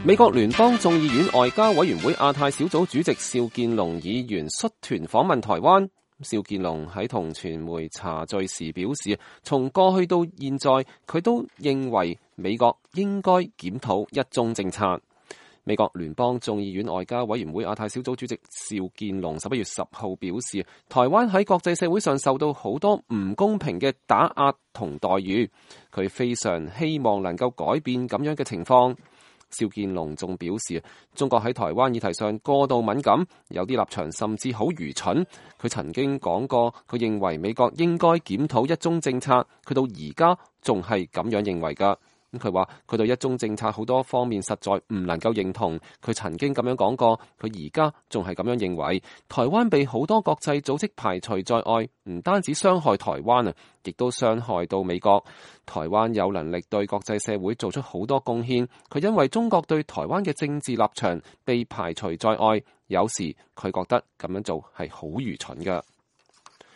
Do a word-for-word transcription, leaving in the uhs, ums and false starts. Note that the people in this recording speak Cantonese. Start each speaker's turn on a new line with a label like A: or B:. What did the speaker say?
A: 美國聯邦眾議院外交委員會亞太小組主席邵建龍議員率團訪問台灣。邵建龍喺同傳媒茶敘時表示，從過去到現在，佢都認為美國應該檢討一中政策。美國聯邦眾議院外交委員會亞太小組主席邵建龍十一月十號表示，台灣喺國際社會上受到好多唔公平嘅打壓同待遇，佢非常希望能夠改變咁樣嘅情況。邵建龍仲表示，中國喺台灣議題上過度敏感，有啲立場甚至好愚蠢。佢曾經講過，佢認為美國應該檢討一中政策，佢到而家仲係咁樣認為㗎。咁佢話佢對一中政策好多方面實在唔能夠認同。佢曾經咁樣講過，佢而家仲係咁樣認為。台灣被好多國際組織排除在外，唔單止傷害台灣啊，亦都傷害到美國。台灣有能力對國際社會做出好多貢獻，佢因為中國對台灣嘅政治立場被排除在外，有時佢覺得咁樣做係好愚蠢㗎。